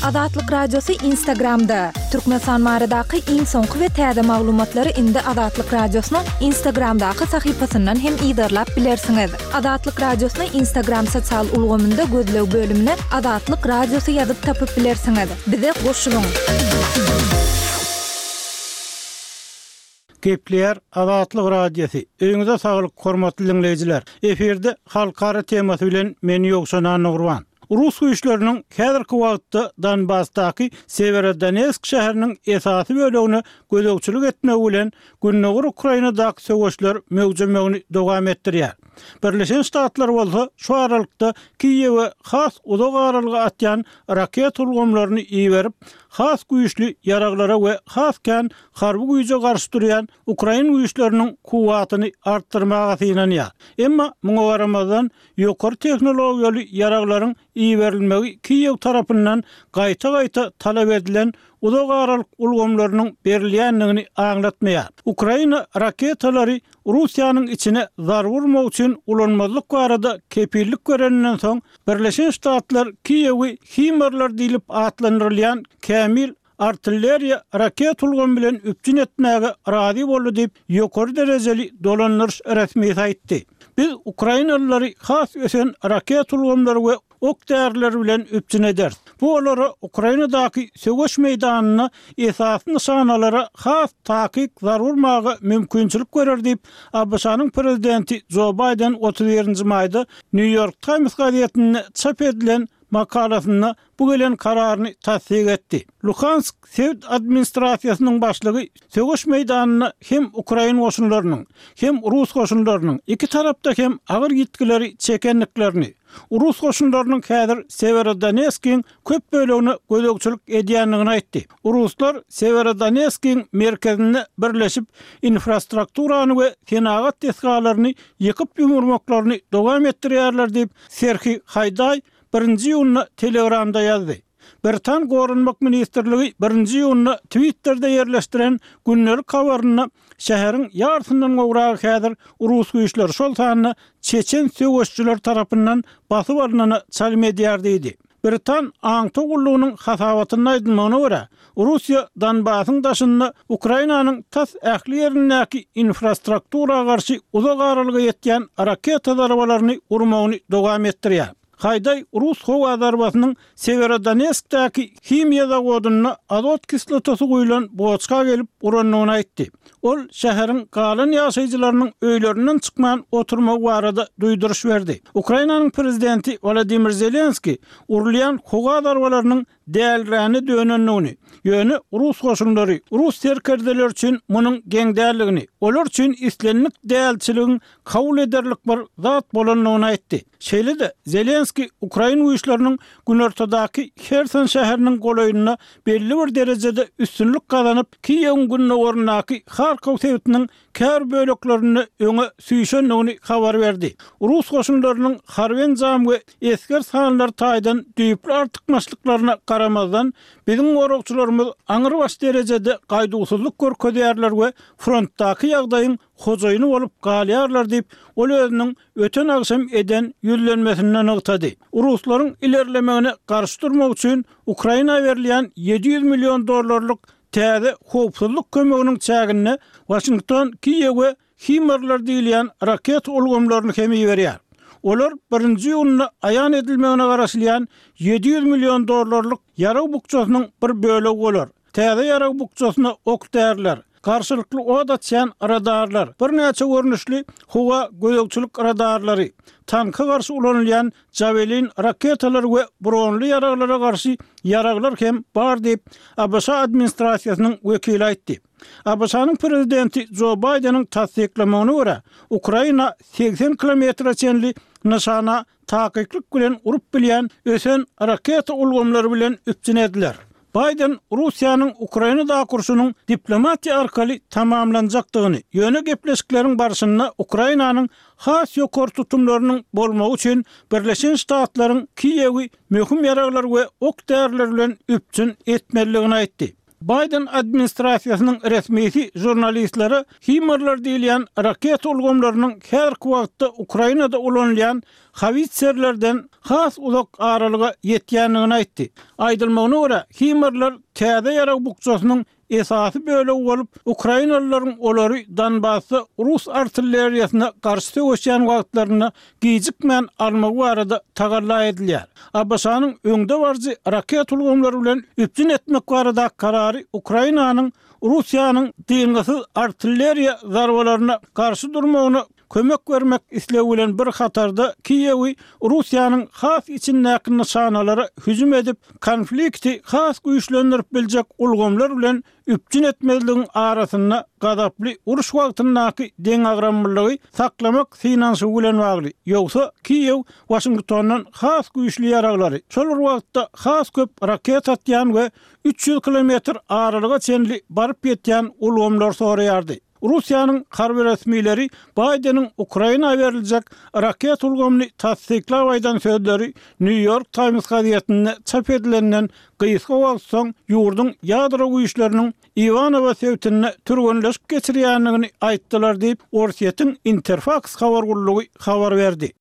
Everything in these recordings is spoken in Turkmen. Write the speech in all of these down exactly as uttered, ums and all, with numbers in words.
Azatlyk Radiosy Instagramda. Türkmenistan baradaky iň soňky we täze maglumatlary indi Azatlyk Radiosynyň Instagramdaky sahypasyndan hem yzarlap bilersiňiz. Azatlyk Radiosyny Instagram sosial ulgamynda gözleg bölümine Azatlyk Radiosy ýazyp tapyp bilersiňiz. Bize goşulyň. Gepleýär Azatlyk Radiosy. Öýüňize saglyk, hormatly diňleýjiler. Efirde halkara temasy bilen men Ýowşan Annagurban. Rus güýçleriniň häzirki wagtda Donbasdaky Severodonetsk şäheriniň esasy bölegine gözegçilik etmegi bilen Gündogar Ukrainadaky söweşler möwjemegini dowam etdirýär. Birleşen Ştatlar bolsa şu aralykda Kiýewe has uzak aralyga atýan raket ulgamlaryny iberip, has güýçli ýaraglara we has kän harby güýje garşy durýan Ukrain güýçleriniň kuwwatyny artdyrmaga synanýar. Emma muňa garamazdan ýokary tehnologiýaly ýaraglaryň iberilmegi Kiýew tarapyndan gaýta-gaýta talap edilen uzak aralyk ulgamlarynyň berilýändigini aňlatmaýar. Ukraina raketalary Russiýanyň içine zarba urmak üçin ulanmazlyk barada kepillik bereninden soň Birleşen Ştatlar Kiýewi HIMARSlar diýlip atlandyrylýan kämil artilleriýa raket ulgamy bilen üpjün etmäge razy boldy diýip ýokary derejeli dolandyryş resmisi aýtdy. Biz Ukrainalylary has ösen raket ulgamlary we ok därileri bilen üpjün ederis. Bu olara Ukrainadaky söweş meýdanynda esasy nyşanalara has takyk zarba urmaga mümkinçilik berer diýip ABŞ-nyň prezidenti Joe Biden otuz birinji maýda New York Times gazetinde çap edilen makalasynda bu gelen kararyny tassyk etdi. Luhansk sebit administrasiýasynyň başlygy söweş meýdanynda hem Ukrain goşunlarynyň, hem Rus goşunlarynyň iki tarapda hem agyr ýitgileri çekendiklerini, Rus goşunlarynyň häzir Severodonetskiň köp bölegine gözegçilik edýändigini aýtdy. Ruslar Severodonetskiň merkezinde birleşip infrastrukturany we senagat desgalaryny ýykyp ýumurmaklaryny dowam etdirýärler diýip Serhiý Haýdaý birinji iýunda Telegramda ýazdy. Britan Goranmak ministrligi birinji iýunda Twitter'de ýerleşdiren gündelik habarynda şäheriň ýarysyndan gowragy häzir Rus güýçleri, şol sanda Çeçen söweşçiler tarapyndan basyp alynana çalym edýär diýdi. Britan aňtaw gullugynyň hasabatynda aýdylmagyna görä, Russiýa Donbasyň daşynda Ukrainanyň tas ähli ýerindäki infrastruktura garşy uzak aralyga ýetýän raketa zarbalaryny urmagyny dowam etdirýär. Haýdaý Rus howa zarbasynyň Severodonetskdäki himiýa zawodynda azot kislotasy guýulan boçka gelip urandygyny aýtdy. Ol şäheriň galan ýaşaýjylarynyň öýlerinden çykman oturmagy barada duýduryş berdi. Ukrainanyň prezidenti Wladimir Zelenski urulýan howa zarbalarynyň dälräni dönendigini, ýöne Rus goşunlary, Rus serkerdeleri üçin munuň geň däldigini, olar üçin islendik dälçiligiň kabul ederlik bir zat bolandygyny aýtdy. Şeýle-de Zelenski Ukrain güýçleriniň günortadaky Herson şäheriniň golaýynda belli bir derejede üstünlik gazanyp, Kiýewiň gündogaryndaky Harkow sebitiniň käbir böleklerinde öňe süýşendigini habar berdi. Rus goşunlarynyň harby enjam we esger sanlary taýdan düýpli artykmaçlyklaryna garamazdan, biziň goragçylarymyz aňrybaş derejede gaýduwsyzlyk görkezýärler we frontdaky ýagdaýyň hojaýyny bolup galýarlar diýip, ol özüniň öten agşam eden ýüzlenmesinde nygtady. Ruslaryň ilerlemegine garşy durmak üçin Ukraina berilýän ýedi ýüz million dollarlyk täze howpsuzlyk kömeginiň çäginde Waşington Kiýewe HIMARSlar diýilýän raket ulgamlaryny hem iberýär. Olar birinji iýunda aýan edilmegine garaşylýan ýedi ýüz million dollarlyk ýarag bukjasynyň bir bölegi bolar. Täze ýarag bukjasyna ok däriler, garşylykly od açýan radarlar, birnäçe görnüşli howa gözegçilik radarlary, tanka garşy ulanylýan Javelin raketalary we bronly ýaraglara garşy ýaraglar hem bar diýip, ABŞ administrasiýasynyň wekili aýtdy. ABŞ-nyň prezidenti Joe Baýdeniň tassyklamagyna görä, Ukraina segsen kilometre çenli nyşana takyklyk bilen urup bilýän ösen raketa ulgamlary bilen üpjün ediler. Baýden Russiýanyň Ukrainadaky urşunyň diplomatiýa arkaly tamamlanjakdygyny, ýöne gepleşikleriň barşynda Ukrainanyň has ýokary tutumlarynyň bolmagy üçin Birleşen Ştatlaryň Kiýewi möhüm ýaraglar we ok däriler bilen üpjün etmelidigini aýtdy. Baýden administrasiýasynyň resmisi žurnalistlere HIMARS diýilýän raketa ulgamlarynyň häzirki wagtda Ukrainada ulanylýan howitserlerden has uzak aralyga ýetýändigini aýtdy. Aýdylmagyna görä, HIMARS täze ýarag bukjasynyň esasy bölegi bolup, Ukrainalylaryň olary Donbasda rus artilleriýasyna garşy söweşýän wagtlarynda gijikmän almagy barada tagalla edilýär. ABŞ-nyň öňdebaryjy raketa ulgamlary bilen üpjün etmek barada karary Ukrainanyň Russiýanyň dyngysyz artilleriýa zarbalaryna garşy durmagyna kömek bermek islegi bilen bir hatarda Kiýewi Russiýanyň has içindäki nyşanalara hüjüm edip, konflikti has güýçlendirip biljek ulgamlar bilen üpjün etmezligiň arasynda gazaply uruş wagtyndaky deňagramlylygy saklamak synanyşygy bilen bagly. Ýogsa Kiýew Waşingtondan has güýçli ýaraglary, şol bir wagtda has köp raketa atýan we üç ýüz kilometr aralyga çenli baryp ýetýän ulgamlar soraýardy. Russiýanyň harby resmileri Baýdeniň Ukraina beriljek raketa ulgamyny tassyklap aýdan sözleri New York Times gazetinde çap edilenden gysga wagt soň ýurduň ýadro güýçleriniň Iwanowo sebitinde türgenleşik geçirýändigini aýtdylar diýip, Orsýetiň Interfax habar gullugy habar berdi.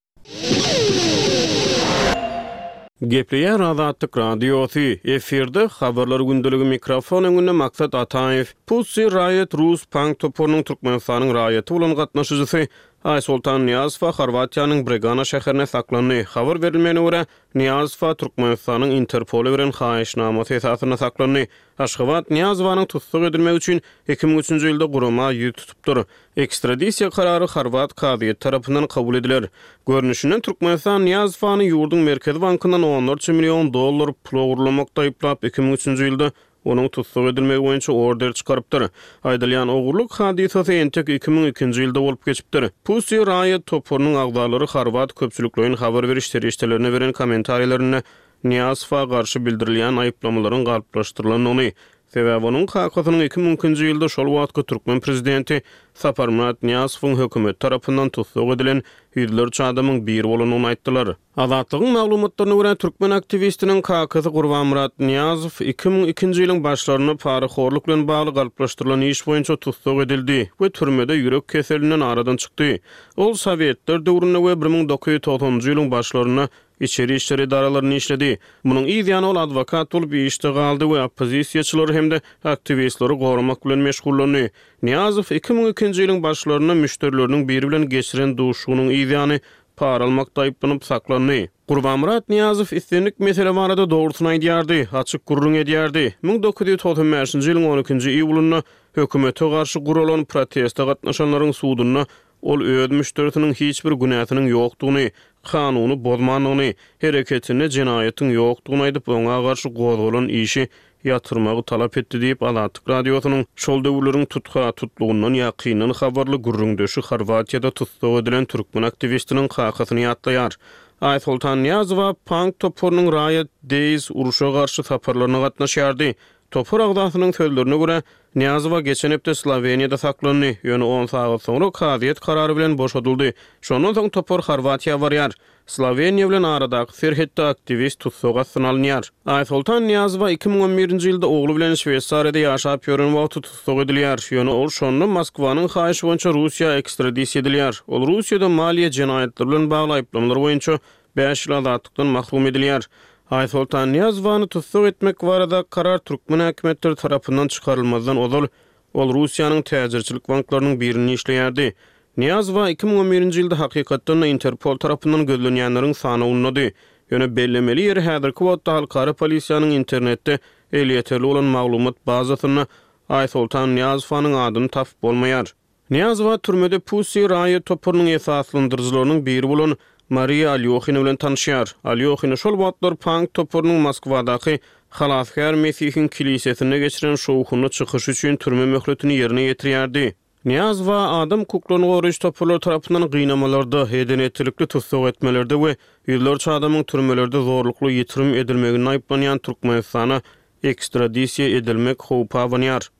Gepleýär Azatlyk Radiosy. Efirde habarlar gündeligi, mikrofon öňünde Maksat Ataýew. Pussy Riot rus punk toparynyň Türkmenistanyň raýaty bolan gatnaşyjysy Aýsoltan Nyýazowa Horwatiýanyň Bregana şäherinde saklandy. Habar berilmegine görä, Nyýazowa Türkmenistanyň Interpola beren haýyşnamasy esasynda saklandy. Aşgabat Nyýazowanyň tussag edilmegi üçin iki müň üçünji ýylda gurama ýüz tutupdyr. Ekstradisiýa karary horwat kazyýeti tarapyndan kabul ediler. Görnüşinden, Türkmenistan Nyýazowany ýurduň Merkezi bankyndan onlarça million dollar pul ogurlamakda aýyplap, iki müň üçünji ýylda onuň tussag edilmegi boýunça order çykarypdyr. Aýdylýan ogurlyk hadysasy entek iki müň ikinji ýylda bolup geçipdir. Pussy Riot toparynyň agzalary horwat köpçülikleýin habar beriş serişdelerine beren kommentariýalarynda Nyýazowa garşy bildirilýän aýyplamalaryň galplaşdyrylandygyny, sebäbi onuň kakasynyň iki müň ikinji ýylda şol wagtky türkmen prezidenti Saparmyrat Nyýazowyň hökümeti tarapyndan tussag edilen ýüzlerçe adamyň biri bolandygyny aýtdylar. Azatlygyň maglumatlaryna görä, türkmen aktiwistiniň kakasy Gurbanmyrat Nyýazow iki müň ikinji ýylyň başlarynda parahorluk bilen bagly galplaşdyrylan iş boýunça tussag edildi we türmede ýürek keselinden aradan çykdy. Ol Sowetler döwründe we bir müň dokuz ýüz togsanynjy ýylyň başlarynda içeri işler edaralarynda işledi. Munuň yz ýany ol adwokat bolup işde galdy we oppozisiýaçylary hem-de aktiwistleri goramak bilen meşgullandy. Nyýazow iki müň ikinji ýylyň başlarynda müşderileriniň biri bilen geçiren duşuşygynyň yz ýany para almakda aýyplanyp saklandy. Gurbanmyrat Nyýazow islendik mesele barada dogrusyny aýdýardy, açyk gürrüň edýärdi. Müň dokuz ýüz togsan bäşinji ýylyň on ikinji iýulynda hökümete garşy guralan proteste gatnaşanlaryň sudunda ol öz müşderisiniň hiç bir günäsiniň ýokdugyny, kanuny bozmandygyny, hereketinde jenaýatyň ýokdugyny aýdyp, oňa garşy gozgalan işi ýatyrmagy talap etdi diýip, Azatlyk Radiosynyň şol döwürleriň tutha tutlugyndan ýakyndan habarly gürrüňdeşi Horwatiýada tussag edilen türkmen aktiwistiniň kakasyny ýatlaýar. Aýsoltan Nyýazowa punk toparynyň Riot Days uruşa garşy saparlaryna gatnaşýardy. Topar agzasynyň sözlerine görä, Nyýazowa geçen hepde Sloweniýada saklandy, ýöne on sagat soňra kazyýet karary bilen boşadyldy. Şondan soň topar Horwatiýa barýar. Sloweniýa bilen aradaky serhetde aktiwist tussag astyna alynýar. Aýsoltan Nyýazowa iki müň on birinji ýylda ogly bilen Şweýsariýada ýaşap ýören wagty tussag edilýär. Ýöne ol şonda Moskwanyň haýyşy boýunça Russiýa ekstradisiýa edilýär. Ol Russiýada maliýe jenaýatlary bilen bagly aýyplamalar boýunça bäş ýyl azatlykdan mahrum edilýär. Aýsoltan Nyýazowany tussag etmek barada karar türkmen häkimiýetleri tarapyndan çykarylmazdan ozal ol Russiýanyň täjirçilik banklarynyň birinde işleýärdi. Nyýazowa iki müň on birinji ýylda hakykatdan-da Interpol tarapyndan gözlenýänleriň sanawyndady. Ýöne bellemeli ýeri häzirki wagtda halkara polisiýanyň internetde elýeterli bolan maglumat bazasynda Aýsoltan Nyýazowanyň adyny tapyp bolmaýar. Nyýazowa türmede Pussy Riot toparynyň esaslandyryjylarynyň biri bolan Mariýa Alýohina bilen tanyşýar. Alýohina şol wagtlar punk toparynyň Moskwadaky Halasgär Mesihiň kilisesinde geçiren şowhunly çykyşy üçin türme möhletini ýerine ýetirýärdi. Nyýazowa adam hukuklaryny goraýjy toparlar tarapyndan gynamalarda, eden-etdilikli tussag etmelerde we ýüzlerçe adamyň türmelerde zorlukly ýitirim edilmeginde aýyplanýan Türkmenistana ekstradisiýa edilmek howpy abanýar.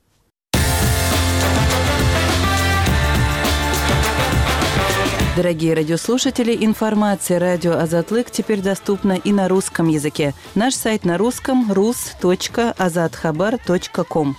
Дорогие радиослушатели, информация радио Азатлык теперь доступна и на русском языке. Наш сайт на русском rus.azathabar.com.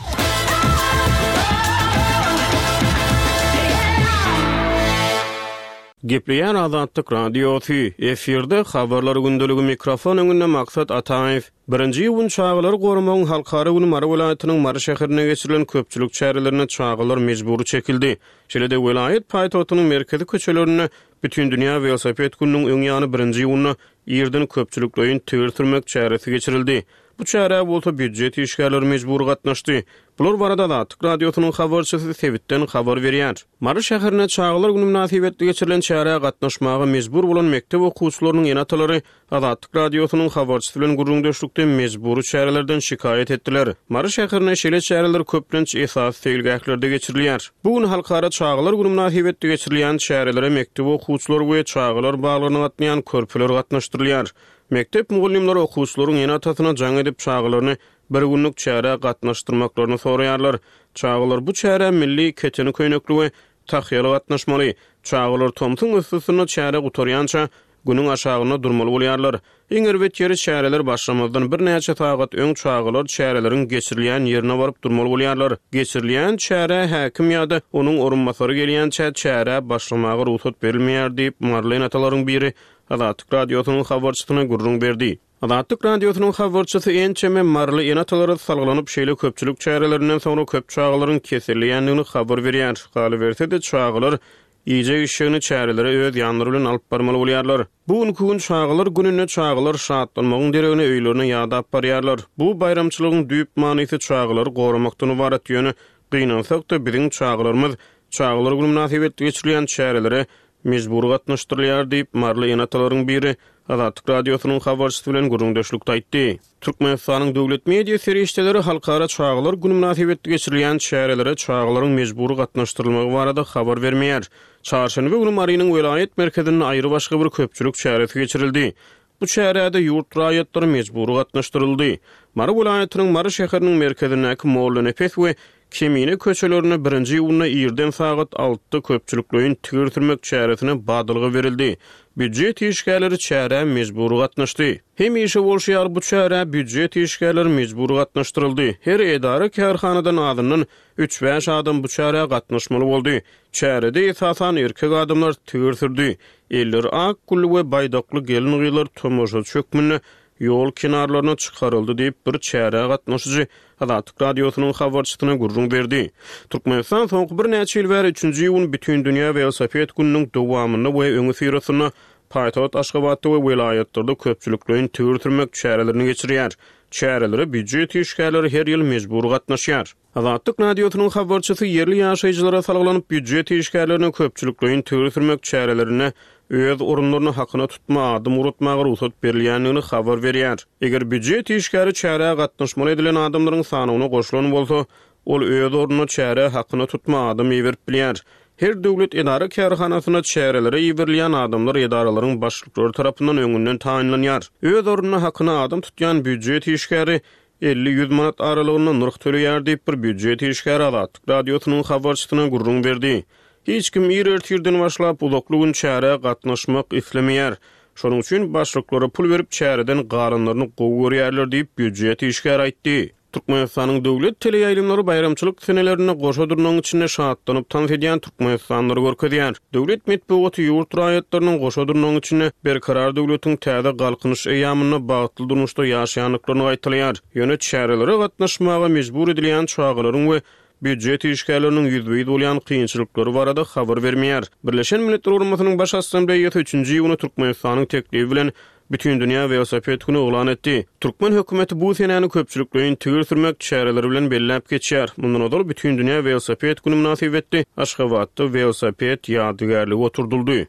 Gepleýär Azatlyk Radiosy, efirde habarlar gündeligi mikrofon öňünde Maksat Ataýew. Birinji iýun çagalary goramagyň halkara güni Mary welaýatynyň Mary şäherinde geçirilen köpçülik çärelerine çagalar mejbury çekildi. Şeýle-de welaýat paýtagtynyň merkezi köçelerinde Bütindünýä welosiped gününiň öň ýany birinji iýunda irden köpçülikleýin tigir sürmek çäresi geçirildi. Bu çärä bolsa býujet işgärleri mejbury gatnaşdy. Bular barada Azatlyk Radiosynyň habarçysy sebitden habar berýär. Mary şäherinde çagalar günü mynasybetli geçirilen çärä gatnaşmaga mejbur bolan mekdep okuwçylarynyň ene-atalary Azatlyk Radiosynyň habarçysy bilen gürrüňdeşlikde mejbury çärelerden şikaýat etdiler. Mary şäherinde şeýle çäreler köplenç esasy seýilgählerde geçirilýär. Bu gün halkara çagalar günü mynasybetli geçirilýän çärelere mekdep okuwçylary we çagalar baglaryna gatnaýan körpeler gatnaşdyrylýar. Mekdep mugallymlary okuwçylaryň ene-atasyna jaň edip çagalaryny bir günlük çärä gatnaşdyrmaklaryny soraýarlar. Çagalar bu çärä milli keteni köýnekli we tahýaly gatnaşmaly. Çagalar tomsuň üstüsinde çäre gutarýança günüň aşagynda durmaly bolýarlar. Iň erbet ýeri çäreler başlamazdan birnäçe sagat öň çagalar çäreleriň geçirilýän ýerine baryp durmaly bolýarlar. Geçirilýän çärä häkim ýa-da onuň orunbasary gelýänçä çärä başlamaga rugsat berilmeýär diýip maryly ene-atalaryň biri Azatlyk Radiosynyň habarçysyna gürrüň berdi. Azatlyk Radiosynyň habarçysy ençeme maryly ene-atalara salgylanyp şeýle köpçülik çärelerinden soňra köp çagalaryň keselleýändigini habar berýär. Galyberse-de çagalar iýjek işegini çärelere öz ýanlary bilen alyp barmaly bolýarlar. Bu günki gün çagalar gününde çagalar şatlanmagyň deregine öýlerine ýadap barýarlar. Bu baýramçylygyň düýp manysy çagalary goramakdan ybarat ýöne gynansak-da biziň çagalarymyz çagalar günü mynasybetli geçirilýän çärelere mejbury gatnaşdyrylýar diýip maryly ene-atalaryň biri Azatlyk Radiosynyň habarçysy bilen gürrüňdeşlikde aýtdy. Türkmenistanyň döwlet media serişdeleri halkara çagalar günü mynasybetli geçirilýän çärelere çagalaryň mejbury gatnaşdyrylmagy barada habar bermeýär. Çarşenbe günü Marynyň welaýat merkezinde aýry başga bir köpçülik çäresi geçirildi. Bu çärede ýurt raýatlary mejbury gatnaşdyryldy. Mary welaýatynyň Mary şäheriniň merkezindäki Mollanepes we Kemine köçelerinde birinji iýunda irden sagat altyda köpçülikleýin tigir sürmek çäresine badalga berildi. Býujet işgärleri çärä mejbury gatnaşdy. Hemişe bolşy ýaly bu çärä býujet işgärleri mejbury gatnaşdyryldy. Her edara kärhanadan azyndan üç-bäş adam bu çärä gatnaşmaly boldy. Çärede esasan erkek adamlar tigir sürdü. Elleri ak gülli we baýdakly gelin gyzlar tomaşaçy hökmünde ýol kenarlaryna çykaryldy diýip bir çärä gatnaşyjy Azatlyk Radiosynyň habarçysyna gürrüň berdi. Türkmenistan soňky birnäçe ýyl bäri üçünji iýun Bütindünýä welosiped gününiň dowamynda we öňi syrasynda paýtagt Aşgabatda we welaýatlarda köpçülikleýin tigir sürmek çärelerini geçirýär. Çärelere býujet işgärleri her ýyl mejbury gatnaşýar. Azatlyk Radiosynyň habarçysy ýerli ýaşaýjylara salgylanyp býujet işgärlerine köpçülikleýin tigir sürmek çärelerine öz orunlaryny hakyna tutma adım uratmaga rugsat berilýändigini habar berýär. Eger býujet işgäri çärä gatnaşmaly edilen adamlaryň sanyna goşulan bolsa, ol öz ornuna çärä hakyna tutma adam iberip bilýär. Her döwlet edara kärhanasyna çärelere iberilýän adamlar edaralaryň başlyklary tarapyndan öňünden taýynlanýar. Öz ornuna hakyna adam tutýan býujet işgäri elli-ýüz manat aralygynda nyrh töleýär diýip bir býujet işgäri Azatlyk Radiosynyň habarçysyna gürrüň berdi. Hiç kim ir ertirden başlap uzakly gün çärä gatnaşmak islemeýär. Şonuň üçin başlyklara pul berip çäreden galanlaryny gowy görýärler diýip býujet işgäri aýtdy. Türkmenistanyň döwlet teleýaýlymlary baýramçylyk senelerinde goşa durnagyň içinde şatlanyp tans edýän Türkmenistanlary görkezýär. Döwlet metbugaty ýurt raýatlarynyň goşa durnagyň içinde Berkarar döwletiň täze galkynyş eýýamynda bagtly durmuşda ýaşaýandyklaryny gaýtalaýar. Ýöne çärelere gatnaşmaga mejbur edilýän çagalaryň we býujet işgärleriniň ýüzbe-ýüz bolýan kynçylyklary barada habar bermeýär. Birleşen Milletler Guramasynyň Baş Assambleýasy üçünji iýunda Türkmenistanyň teklibi bilen Bütindünýä welosiped güni yglan etdi. Türkmen hökümeti bu senäni köpçülikleýin tigir sürmek çäreleri bilen belläp geçýär. Mundan ozal Bütindünýä welosiped güni mynasybetli Aşgabatda welosiped ýadygärligi oturdyldy.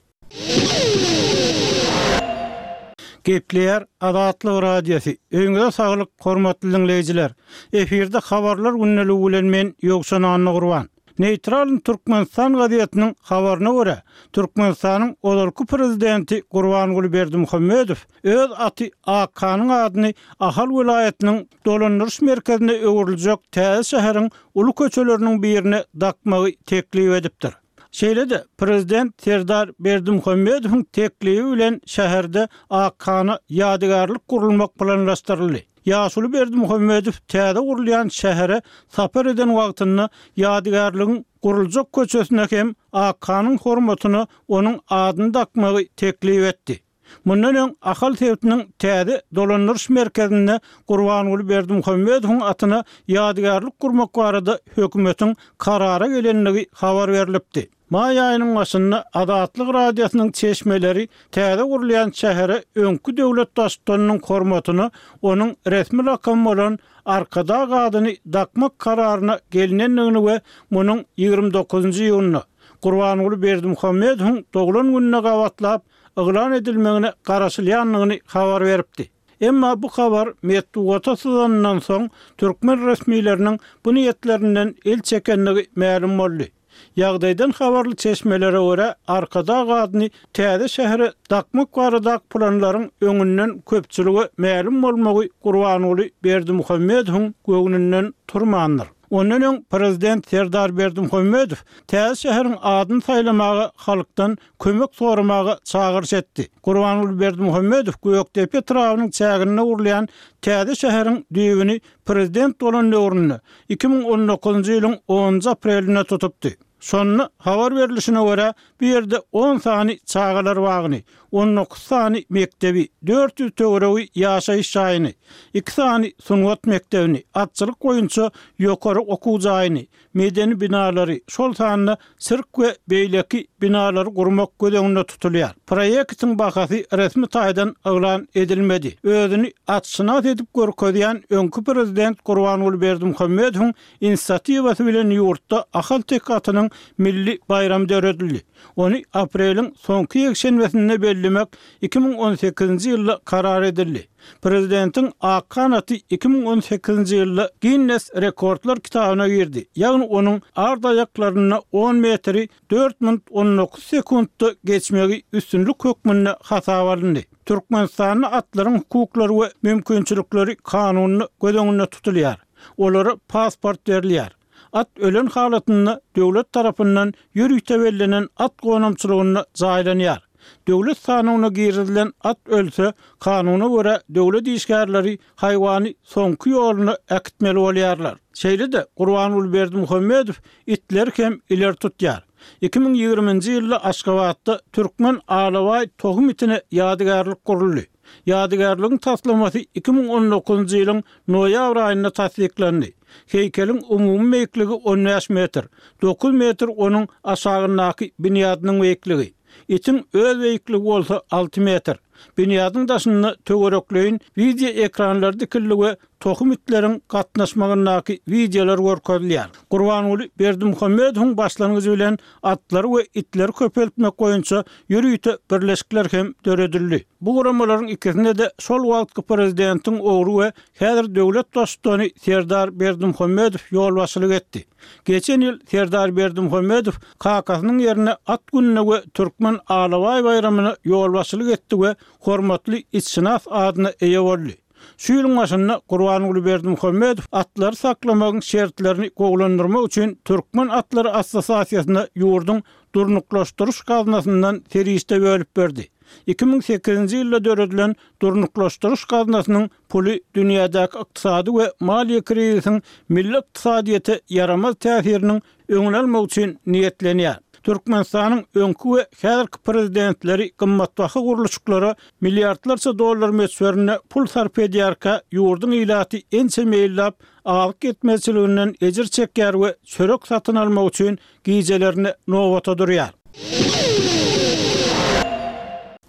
Gepleýär Azatlyk Radiosy. Öýüňize saglyk, hormatly dinleýjiler. Efirde habarlar gündeligi bilen men Ýowşan Annagurban. Neýtral Türkmenistan gazetiniň habaryna görä, Türkmenistanyň ozalky prezidenti Gurbanguly Berdimuhamedow öz aty Akkanyň adyny Ahal welaýatynyň dolandyryş merkezine öwrüljek täze şäheriň uly köçeleriniň birine dakmagy teklip edipdir. Şeýle-de prezident Serdar Berdimuhamedowyň teklibi bilen şäherde Akhana ýadygärlik gurulmak planlaşdyryldy. Ýaşuly Berdimuhamedow täze gurulýan şähere sapar eden wagtynda ýadygärligiň guruljak köçesine hem Akhanyň hormatyna onuň adyny dakmagy teklip etdi. Mundan öň Ahal sebitiniň täze dolandyryş merkezinde Gurbanguly Berdimuhamedowyň atyna ýadygärlik gurmak barada hökümetiň karara gelenligi habar berlipdi. Maý aýynyň başynda Azatlyk Radiosynyň çeşmeleri täze gurulýan şähere öňki döwlet baştutanynyň hormatyna onuň resmi lakamy bolan Arkadag adyny dakmak kararyna gelinendigini we munuň ýigrimi dokuzynjy iýunda Gurbanguly Berdimuhamedowyň doglan gününe gabatlap yglan edilmegine garaşylýandygyny habar beripdi. Emma bu habar metbugata syzanyndan soň türkmen resmileriniň bu niýetlerinden el çekenligi mälim boldy. Ýagdaýdan habarly çeşmelere görä Arkadag adyny täze şähere dakmak baradaky planlaryň öňünden köpçülige mälim bolmagy Gurbanguly Berdimuhamedowyň göwnünden turmandyr. Ondan öň prezident Serdar Berdimuhamedow täze şäheriň adyny saýlamaga halkdan kömek soramaga çagyryş etdi. Gurbanguly Berdimuhamedow Gökdepe etrabynyň çäginde gurulýan täze şäheriň düýbüni prezident bolan döwründe iki müň on dokuzynjy ýylyň onunjy aprelinde tutupdy. Şonda habar berilişine görä bu ýerde on sany çagalar bagyny, on dokuz sany mekdebi, dört ýüz töweregi ýaşaýyş jaýyny, iki sany sungat mekdebini, atçylyk boýunça ýokary okuw jaýyny, medeni binalary, şol sanda sirk we beýleki binalary gurmak göz öňünde tutulýar. Proýektiň bahasy resmi taýdan yglan edilmedi. Özüni atşynas edip görkezýän öňki prezident Gurbanguly Berdimuhamedowyň inisiatiwasy bilen ýurtda Ahal-Teke atynyň milli baýramy döredildi. Ony apreliň soňky ýekşenbesinde bellemek iki müň on sekizinji ýylda karar edildi. Prezidentiň Akhan aty iki müň on sekizinji ýylda Guinness rekordlar kitabyna girdi. Ýagny onuň ard aýaklarynda on metri dört minut on dokuz sekundda geçmegi üstünlik hökmünde hasap alyndy. Türkmenistanda atlaryň hukuklary we mümkinçilikleri kanunda göz öňünde tutulýar. Olara pasport berilýär. At ölen halatynda döwlet tarapyndan ýörite bellenen at gonamçylygynda jaýlanýar. Döwlet sanyna girizilen at ölse, kanuna görä döwlet işgärleri haýwany soňky ýoluna äkitmeli bolýarlar. Şeýle-de Gurbanguly Berdimuhamedow itleri hem ileri tutýar. iki müň ýigriminji ýylda Aşgabatda Türkmen Alabaý tohum itine ýadygärlik guruldy. Ýadygärligiň taslamasy iki müň on dokuzynjy ýylyň noýabr aýynda tassyklandy. Heýkeliň umumy beýikligi on bäş metr, dokuz metr onuň aşagyndaky binýadynyň beýikligi. Itiň öz beýikligi bolsa alty metr. Binýadyň daşynda töwerekleýin video ekranlary dikildi we tohum itleriň gatnaşmagyndaky videolar görkezilýär. Gurbanguly Berdimuhamedowyň başlangyjy bilen atlary we itleri köpeltmek boýunça ýörite birleşikler hem döredildi. Bu guramalaryň ikisinde de şol wagtky prezidentiň ogly we häzir döwlet baştutany Serdar Berdimuhamedow ýolbaşçylyk etdi. Geçen ýyl Serdar Berdimuhamedow kakasynyň ýerine at gününe we Türkmen Alabaý baýramyna ýolbaşçylyk etdi we hormatly itşynas adyna eýe boldy. Şu ýylyň başynda Gurbanguly Berdimuhamedow atlary saklamagyň şertlerini gowulandyrmak üçin Türkmen Atlary Assosiasiýasyna ýurduň durnuklaşdyryş gaznasyndan serişde bölüp berdi. iki müň sekizinji ýylda döredilen durnuklaşdyryş gaznasynyň puly dünýädäki ykdysady we maliýe krizisiň milli ykdysadyýete ýaramaz täsiriniň öňüni almak üçin niýetlenýär. Türkmenistanyň öňki we häzirki prezidentleri gymmatbaha gurluşyklara milliardlarça dollar möçberinde pul sarp edýärkä ýurduň ilaty ençe meýillap azyk ýetmezçiliginden ejir çekýär we çörek satyn almak üçin gijelerini nobata durýar.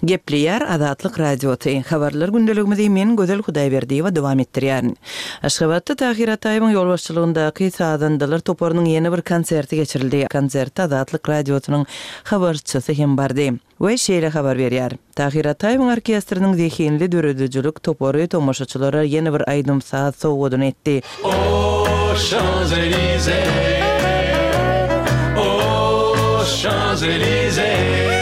Gepleýär Azatlyk Radiosy. Habarlar gündeligimizi men Gözel Hudaýberdiýewa dowam etdirýärin. Aşgabatda Tahir Ataýewiň ýolbaşçylygyndaky sazandalar toparynyň ýene bir konserti geçirildi. Konsertde Azatlyk Radiosynyň habarçysy hem bardy. We şeýle habar berýär. Tahir Ataýewiň orkestriniň zehinli döredijilik topary tomaşaçylara ýene bir aýdym saz sowgadyny etdi. Oh Champs-Élysées, oh Champs-Élysées,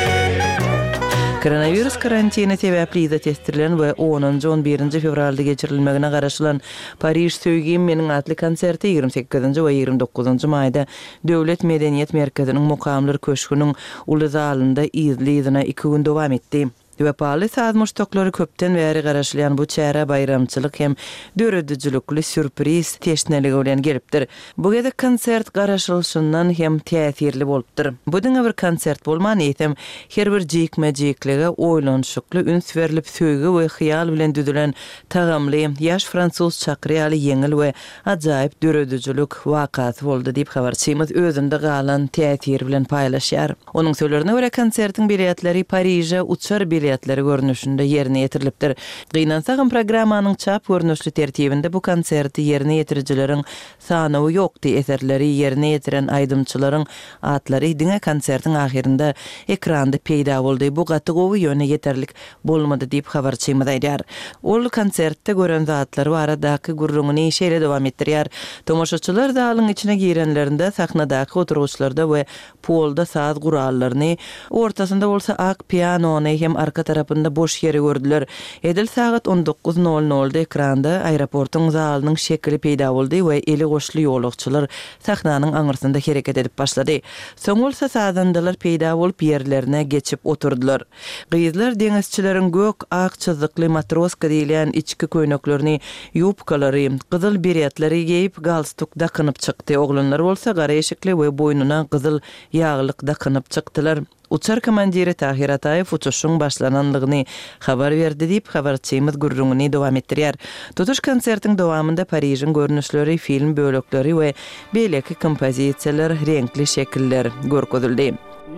Koronawirus karantini sebäpli yza tesdirilen we onunjy-on birinji fewralda geçirilmegine garaşylan Pariž söýgim meniň atly konserti ýigrimi sekizinji we ýigrimi dokuzynjy maýda Döwlet medeniýet merkeziniň Mukamlar köşgüniň uly zalynda yzly-yzyna iki gün dowam etdi. Wepaly saz muşdaklary köpden bäri garaşylýan bu çärä baýramçylyk hem döredijilikli sýurpriz teşneligi bilen gelipdir. Bu gezek konsert garaşylyşyndan hem täsirli bolupdyr. Bu diňe bir konsert bolman, eýsem, her bir jikme-jiklige oýlanyşykly üns berlip, söýgi we hyýal bilen düzülen tagamly, ýaş fransuz çakyry ýaly ýeňil we ajaýyp döredijilik wakasy boldy diýip, habarçymyz özünde galan täsiri bilen paýlaşýar. Onuň sözlerine görä, konsertiň biletleri Pariže uçar biletleri görnüşinde ýerine ýetirilipdir. Gynansagam, programmanyň çap görnüşli tertibinde bu konserti ýerine ýetirijileriň sanawy ýokdy, eserleri ýerine ýetiren aýdymçylaryň atlary diňe konsertiň ahyrynda ekranda peýda boldy. Bu gaty gowy, ýöne ýeterlik bolmady diýip, habarçymyz aýdýar. Ol konsertde gören zatlary baradaky gürrüňini şeýle dowam etdirýär, Tomaşaçylar zalyň içine girenlerinde sahnadaky oturgyçlarda we polda saz gurallaryny, ortasynda bolsa ak pianony hem arka tarapynda boş ýeri gördüler. Edil sagat on dokuz nol nolda ekranda aeroportuň zalynyň şekili peýda boldy we eli goşly ýolagçylar sahnanyň aňyrsynda hereket edip başlady. Soň bolsa sazandalar peýda bolup ýerlerine geçip oturdylar. Gyzlar deňizçileriň gök-ak çyzykly matroska diýilýän içki köýneklerini, ýubkalary, gyzyl beretleri geýip, galstuk dakynyp çykdy. Oglanlar bolsa gara eşikli we boýnuna gyzyl ýaglyk dakynyp çykdylar. Uçar komandiri Tahir Ataýew uçuşyň başlananlygyny habar berdi diýip, habarçymyz gürrüňini dowam etdirýär. Tutuş konsertiň dowamynda Parižiň görnüşleri, film bölekleri we beýleki kompozisiýalar, reňkli şekiller görkezildi.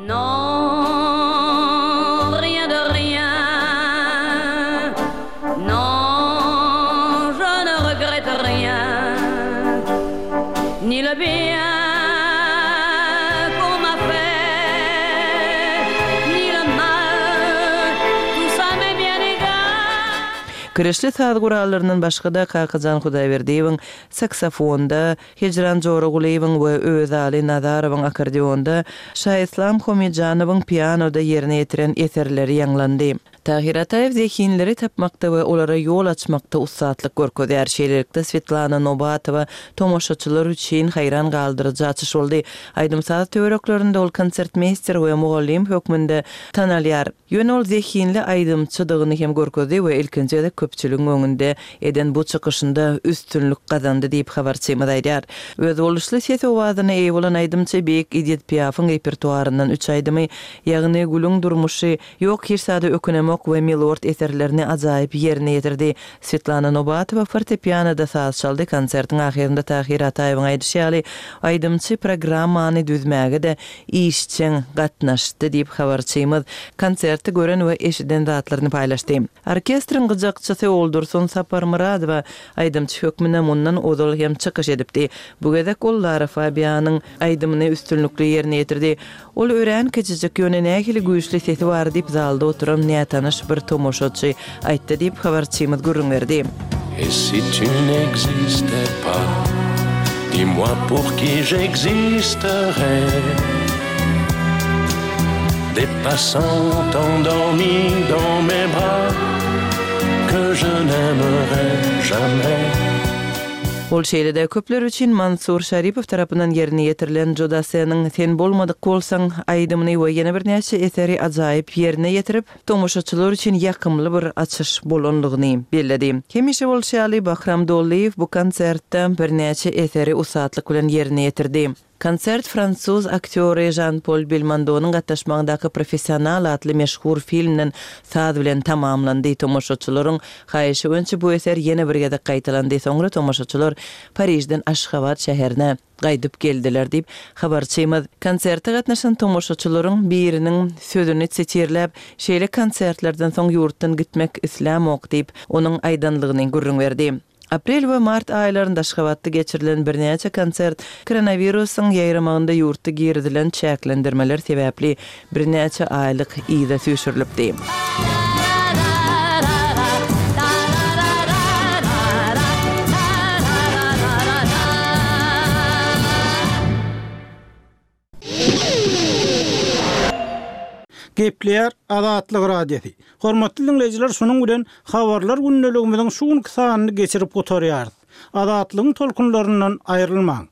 Non, rien de rien. Non, je ne regrette rien. Ni le bien qu'on m'a fait, ni le mal, tout ça m'est bien égal. Kirişli saz gurallaryndan başga-da Kakajan Hudaýberdiýewiň saksofonda, Hijran Joragulyýewiň we Özaly Nazarowyň akkordeonda, Şaislam Homijanowyň pianoda ýerine ýetiren eserleri ýaňlandy. Tahir Ataýew zehinleri tapmakda we olara ýol açmakda ussatlyk görkezýär. Şeýlelikde Svetlana Nobatowa tomaşaçylar üçin haýran galdyryjy açyş boldy. Aýdym-saz töwereklerinde ol konsertmeýster we mugallym hökmünde tanalýar. Ýöne ol zehinli aýdymçydygyny hem görkezdi we ilkinji gezek köpçüligiň öňünde eden bu çykyşynda üstünlik gazandy diýip habarçymyz aýdýar. Özboluşly ses owazyna eýe bolan aýdymçy Beýik Edith Piafyň repertuaryndan üç aýdymy, ýagny Gülüň durmuşy, Ýok hiç zada ökünemok we Milord eserlerini ajaýyp ýerine ýetirdi. Svetlana Nobatowa fortepianoda saz çaldy. Konsertiň ahyrynda Tahir Ataýewiň aýdyşy ýaly, aýdymçy programmany düzmäge-de işjeň gatnaşdy diýip habarçymyz konserti gören we eşiden zatlaryny paýlaşdy. Orkestriň gyjakçysy Oldursun Saparmyradowa aýdymçy hökmünde mundan ozal hem çykyş edipdi. Bu gezek ol Lara Fabianyň aýdymyny üstünlikli ýerine ýetirdi. Ol örän kiçijik, ýöne nähili güýçli sesi bar diýip zalda oturan nätanyş bir tomaşaçy aýtdy diýip habarçymyz gürrüň berdi. Et si tu n'existais pas, dis-moi pour qui j'existerais. Des passants endormis dans mes bras que je n'aimerai jamais. Ol şeýle-de köpler üçin Mansur Şaripow tarapyndan ýerine ýetirilen Jodaseniň Sen bolmadyk bolsaň aýdymyny we ýene birnäçe eseri ajaýyp ýerine ýetirip, tomaşaçylar üçin ýakymly bir açyş bolanlygyny belledi. Hemişe bolşy ýaly Bahram Dollyýew bu konsertde birnäçe eseri ussatlyk bilen ýerine ýetirdi. Konsert fransuz aktýory Jean-Paul Belmondonyň gatnaşmagyndaky Professional atly meşhur filmden saz bilen tamamlandy. Tomaşaçylaryň haýyşy boýunça bu eser ýene bir gezek gaýtalandy. Soňra tomaşaçylar Parižden Aşgabat şäherine gaýdyp geldiler diýip habarçymyz konserte gatnaşan tomaşaçylaryň biriniň sözüni sitirläp, şeýle konsertlerden soň ýurtdan gitmek islämok diýip, onuň aýdanlygyny gürrüň berdi. Aprel we mart aýlarynda Aşgabatda geçirilen birnäçe konsert koronawirusyň ýaýramagynda ýurtda girizilen çäklendirmeler sebäpli birnäçe aýlyk yza süýşürilipdi. Gepleýär Azatlyk Radiosy. Hormatly diňleýjiler, şunuň bilen habarlar gündeligimiziň şu günki sanyny geçirip gutarýarys. Azatlygyň tolkunlaryndan aýrylmaň.